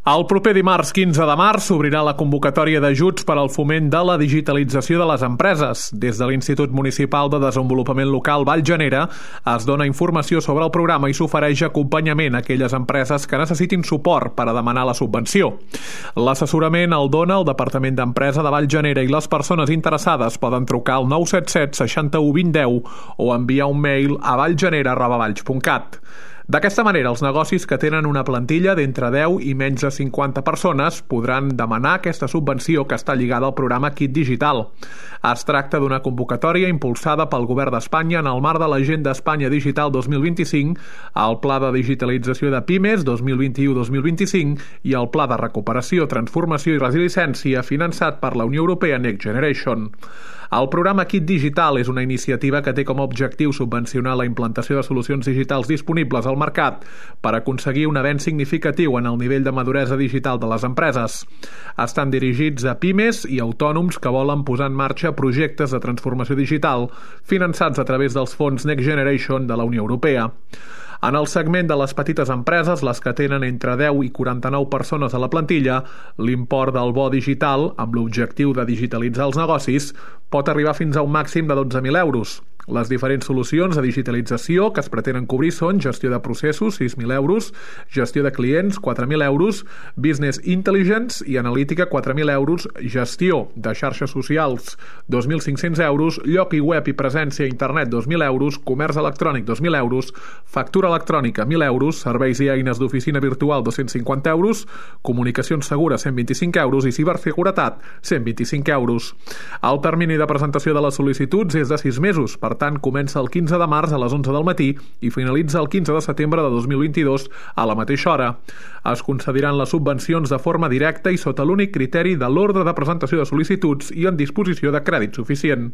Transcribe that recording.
El proper dimarts 15 de març s'obrirà la convocatòria d'ajuts per al foment de la digitalització de les empreses. Des de l'Institut Municipal de Desenvolupament Local Vallgenera es dona informació sobre el programa i s'ofereix acompanyament a aquelles empreses que necessitin suport per a demanar la subvenció. L'assessorament el dona el Departament d'Empresa de Vallgenera i les persones interessades poden trucar al 977 61 20 10 o enviar un mail a vallgenera@valls.cat. D'aquesta manera, els negocis que tenen una plantilla d'entre 10 i menys de 50 persones podran demanar aquesta subvenció que està lligada al programa Kit Digital. Es tracta d'una convocatòria impulsada pel Govern d'Espanya en el marc de l'Agenda Espanya Digital 2025, el Pla de Digitalització de Pimes 2021-2025 i el Pla de Recuperació, Transformació i Resiliència finançat per la Unió Europea Next Generation. El programa Kit Digital és una iniciativa que té com a objectiu subvencionar la implantació de solucions digitals disponibles al mercat per aconseguir un avenç significatiu en el nivell de maduresa digital de les empreses. Estan dirigits a pimes i autònoms que volen posar en marxa projectes de transformació digital finançats a través dels fons Next Generation de la Unió Europea. En el segment de les petites empreses, les que tenen entre 10 i 49 persones a la plantilla, l'import del bo digital, amb l'objectiu de digitalitzar els negocis, pot arribar fins a un màxim de 12.000 euros. Les diferents solucions de digitalització que es pretenen cobrir són gestió de processos, 6.000 euros, gestió de clients, 4.000 euros, business intelligence i analítica, 4.000 euros, gestió de xarxes socials, 2.500 euros, lloc i web i presència a internet, 2.000 euros, comerç electrònic, 2.000 euros, factura electrònica, 1.000 euros, serveis i eines d'oficina virtual, 250 euros, comunicacions segures, 125 euros i ciberseguretat, 125 euros. El termini de presentació de les sol·licituds és de 6 mesos, per tant, comença el 15 de març a les 11 del matí i finalitza el 15 de setembre de 2022 a la mateixa hora. Es concediran les subvencions de forma directa i sota l'únic criteri de l'ordre de presentació de sol·licituds i en disposició de crèdit suficient.